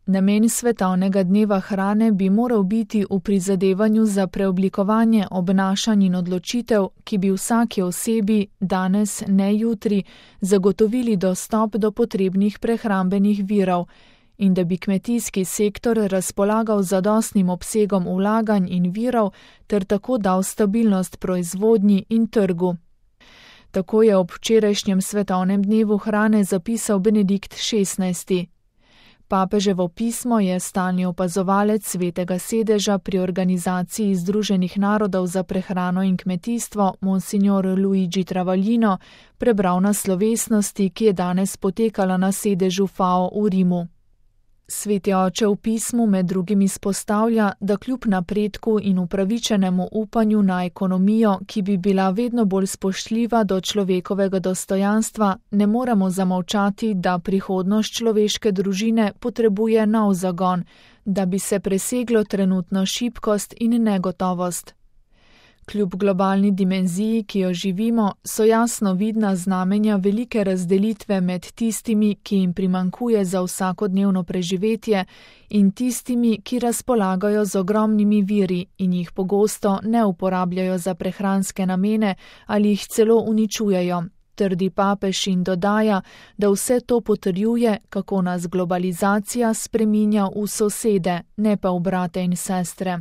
Namen svetovnega dneva hrane bi moral biti v prizadevanju za preoblikovanje obnašanj in odločitev, ki bi vsaki osebi, danes, ne jutri, zagotovili dostop do potrebnih prehrambenih virov in da bi kmetijski sektor razpolagal z zadostnim obsegom vlaganj in virov ter tako dal stabilnost proizvodnji in trgu. Tako je ob včerajšnjem svetovnem dnevu hrane zapisal Benedikt XVI. Papeževo pismo je stalni opazovalec Svetega sedeža pri Organizaciji Združenih narodov za prehrano in kmetijstvo Monsignor Luigi Travaglino prebral na slovesnosti, ki je danes potekala na sedežu FAO v Rimu. Sveti oče v pismu med drugim izpostavlja, da kljub napredku in upravičenemu upanju na ekonomijo, ki bi bila vedno bolj spoštljiva do človekovega dostojanstva, ne moremo zamolčati, da prihodnost človeške družine potrebuje nov zagon, da bi se preseglo trenutno šibkost in negotovost. Kljub globalni dimenziji, ki jo živimo, so jasno vidna znamenja velike razdelitve med tistimi, ki jim primanjkuje za vsakodnevno preživetje, in tistimi, ki razpolagajo z ogromnimi viri in jih pogosto ne uporabljajo za prehranske namene ali jih celo uničujejo, trdi papež in dodaja, da vse to potrjuje, kako nas globalizacija spreminja v sosede, ne pa v brate in sestre.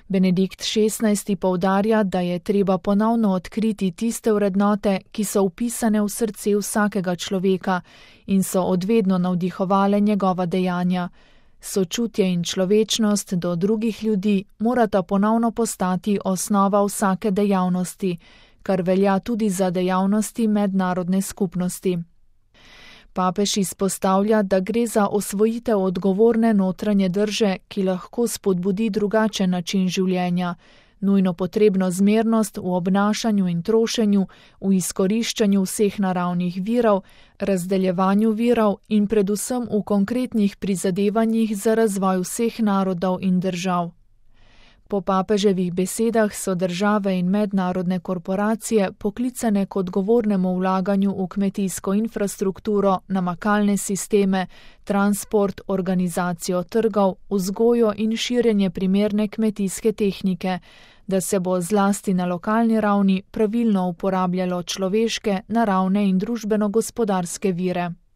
Benedikt XVI. Poudarja, da je treba ponovno odkriti tiste vrednote, ki so vpisane v srce vsakega človeka in so odvedno navdihovale njegova dejanja. Sočutje in človečnost do drugih ljudi morata ponovno postati osnova vsake dejavnosti, kar velja tudi za dejavnosti mednarodne skupnosti. Papež izpostavlja, da gre za osvojitev odgovorne notranje drže, ki lahko spodbudi drugačen način življenja, nujno potrebno zmernost v obnašanju in trošenju, v izkoriščanju vseh naravnih virov, razdeljevanju virov in predvsem v konkretnih prizadevanjih za razvoj vseh narodov in držav. Po papeževih besedah so države in mednarodne korporacije poklicane k odgovornemu vlaganju v kmetijsko infrastrukturo, namakalne sisteme, transport, organizacijo trgov, vzgojo in širjenje primerne kmetijske tehnike, da se bo zlasti na lokalni ravni pravilno uporabljalo človeške, naravne in družbeno-gospodarske vire.